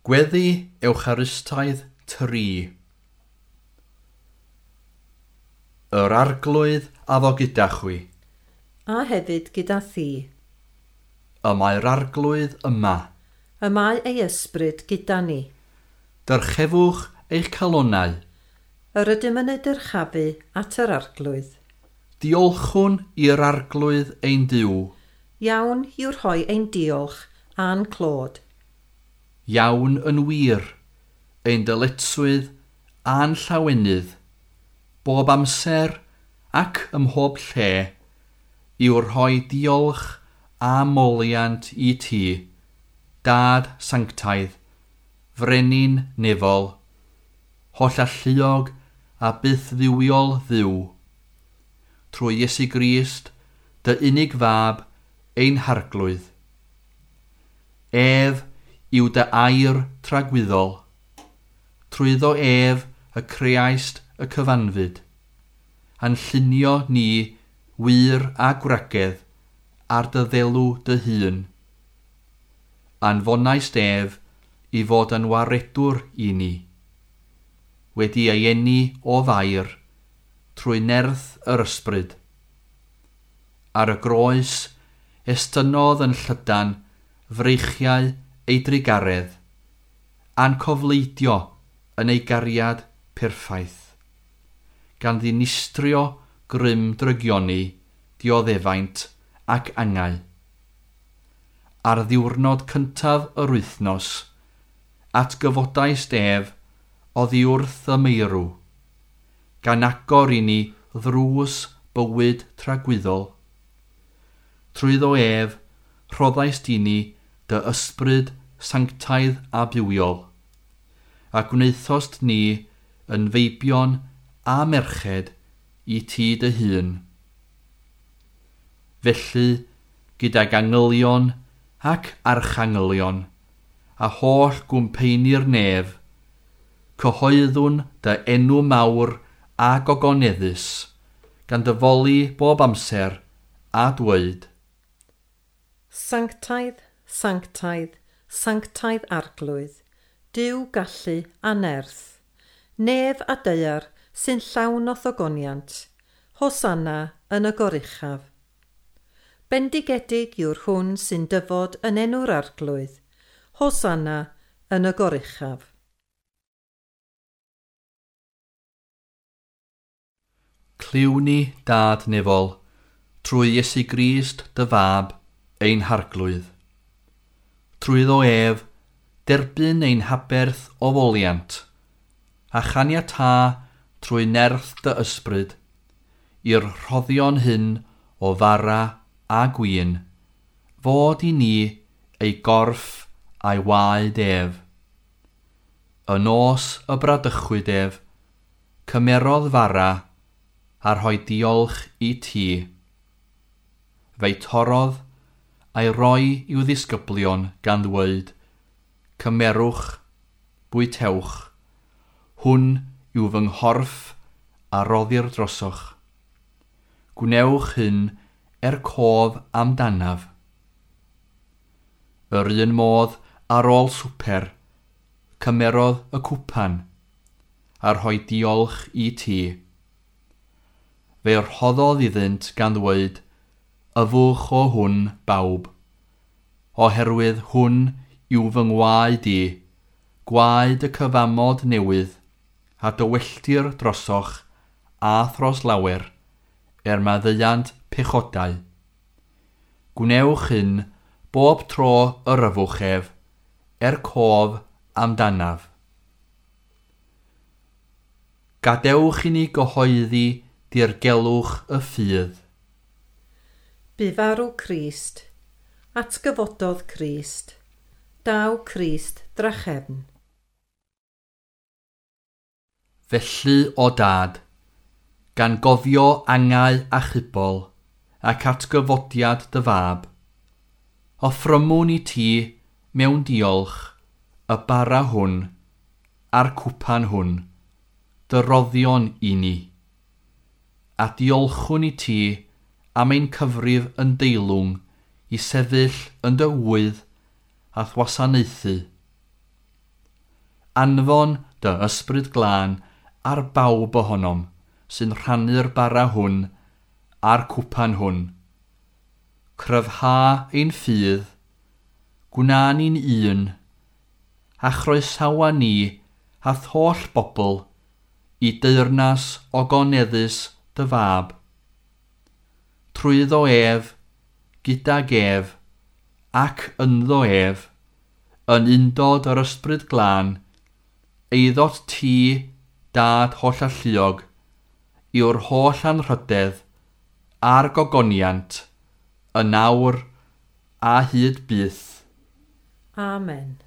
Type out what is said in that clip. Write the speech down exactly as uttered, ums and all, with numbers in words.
Gweddi Ewcharistaidd tri. Yr Arglwydd a fo gyda chwi. A hefyd gyda thi. Y mae'r Arglwydd yma. Y mae ei ysbryd gyda ni. Dyrchefwch eich calonnau. Yr ydym yn ei dyrchafu at yr Arglwydd. Diolchwn i'r Arglwydd ein Duw. Iawn yw rhoi ein diolch a'n clod. Iawn yn wir, ein dyletswydd a'n llawenydd, bob amser ac ym mhob lle, yw rhoi diolch a moliant i ti, Dad sanctaidd, frenin nefol, hollalluog a bythdduwiol Dduw, trwy Iesu Grist, dy unig fab, ein harglwydd. Ef yw dy air tragwyddol. Trwyddo ef y creaist y cyfanfyd, a'n llunio ni wir a gwragedd ar dy ddelw dy hun. Anfonaist ef i fod yn waredwr i ni, wedi ei eni o Fair trwy nerth yr ysbryd. Ar y groes estynnodd yn llydan freichiau ei drugaredd, a'n cofleidio yn ei gariad perffaith, gan ddinistrio grym drygioni, dioddefaint ac angau. Ar ddiwrnod cyntaf yr wythnos, atgyfodaist ef oddi wrth y meirw, gan agor i ni ddrws bywyd tragwyddol. Trwyddo ef, rhoddaist i ni dy ysbryd sanctaidd a bywiol, a gwnaethost ni yn feibion a merched i ti dy hun. Felly, gydag angylion ac archangylion, a holl gwmpeini'r nef, cyhoeddwn dy enw mawr a gogoneddus, gan dy foli bob amser a dweud. Sanctaidd, sanctaidd, sanctaidd Arglwydd, Duw gallu a nerth, nef a daear sy'n llawn o ddogoniant, Hosanna yn y goruchaf. Bendigedig yw'r hwn sy'n dyfod yn enw'r Arglwydd, Hosanna yn y goruchaf. Clyw ni, Dad nefol, trwy Iesu Grist dy fab, ein harglwydd. Trwyddo ef, derbyn ein haberth o foliant, a chaniatâ trwy nerth dy ysbryd, i'r rhoddion hyn o fara a gwin, fod i ni ei gorff a'i waed ef. Y nos y bradychwyd ef, cymerodd fara a rhoi diolch i ti. Fe'i torrodd a'i roi i'w ddisgyblion gan ddweud, cymerwch, bwytewch, hwn yw fy nghorff a roddir drosoch. Gwnewch hyn er cof amdanaf. Yr un modd ar ôl swper, cymerodd y cwpan, a rhoi diolch i ti. Fe rhoddodd iddynt gan ddweud, yfwch o hwn bawb, oherwydd hwn yw fy ngwaed i, gwaed y cyfamod newydd, a dywelltir drosoch a thros lawer, er maddeuant pechodau. Gwnewch hyn bob tro yr yfwch ef, er cof amdanaf. Gadewch i ni gyhoeddi dirgelwch y ffydd. Bu farw Crist, atgyfododd Crist, daw Crist drachefn. Felly, o Dad, gan gofio angau achubol ac atgyfodiad dy fab, offrymwn i ti mewn diolch y bara hwn a'r cwpan hwn, dy roddion i ni, a diolchwn i ti am ein cyfrif yn deilwng i sefyll yn dy ŵydd a thwasanaethu. Anfon dy ysbryd glân ar bawb ohonom sy'n rhannu'r bara hwn a'r cwpan hwn. Cryfha ein ffydd, gwna ni'n un, a chroesawa ni a'th holl bobl i deyrnas ogoneddus dy fab. Trwyddo ef, gydag ef, ac ynddo ef, yn undod yr ysbryd glân, eiddot ti, dad hollalluog, yw'r holl anrhydedd a'r gogoniant, yn awr a hyd byth. Amen.